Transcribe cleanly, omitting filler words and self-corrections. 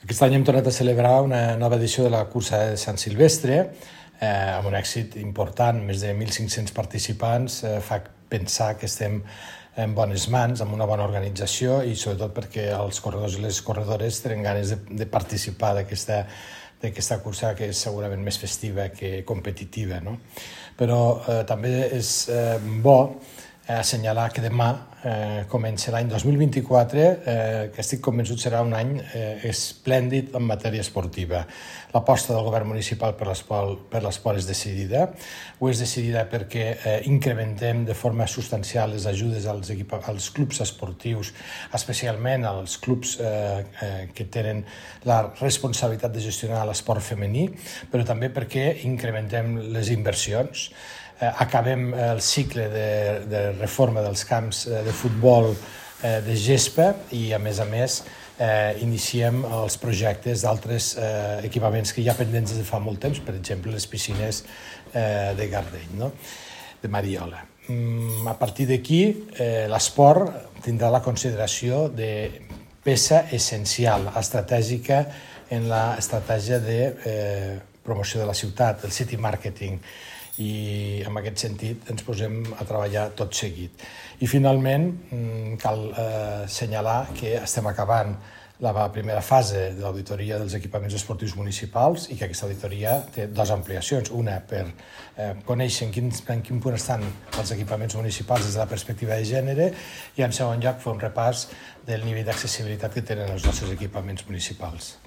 Aquest any hem tornat a celebrar una nova edició de la cursa de Sant Silvestre, amb un èxit important, més de 1.500 participants, fa pensar que estem en bones mans, amb una bona organització i sobretot perquè els corredors i les corredores tenen ganes de participar d'aquesta cursa que és segurament més festiva que competitiva, no? Però també és bo assenyalar que demà comença l'any 2024, que estic convençut serà un any esplèndid en matèria esportiva. L'aposta del govern municipal per l'esport és decidida. Ho és decidida perquè incrementem de forma substancial les ajudes als clubs esportius, especialment als clubs que tenen la responsabilitat de gestionar l'esport femení, però també perquè incrementem les inversions. Acabem el cicle de reforma dels camps de futbol de gespa i, a més, iniciem els projectes d'altres equipaments que hi ha pendents des de fa molt temps, per exemple, les piscines de Gardeny, no? De Mariola. A partir d'aquí, l'esport tindrà la consideració de peça essencial, estratègica en l'estratègia de promoció de la ciutat, el city marketing, i en aquest sentit ens posem a treballar tot seguit. I finalment cal assenyalar que estem acabant la primera fase de l'auditoria dels equipaments esportius municipals i que aquesta auditoria té dues ampliacions. Una per conèixer en quin punt estan els equipaments municipals des de la perspectiva de gènere i en segon lloc fer un repàs del nivell d'accessibilitat que tenen els nostres equipaments municipals.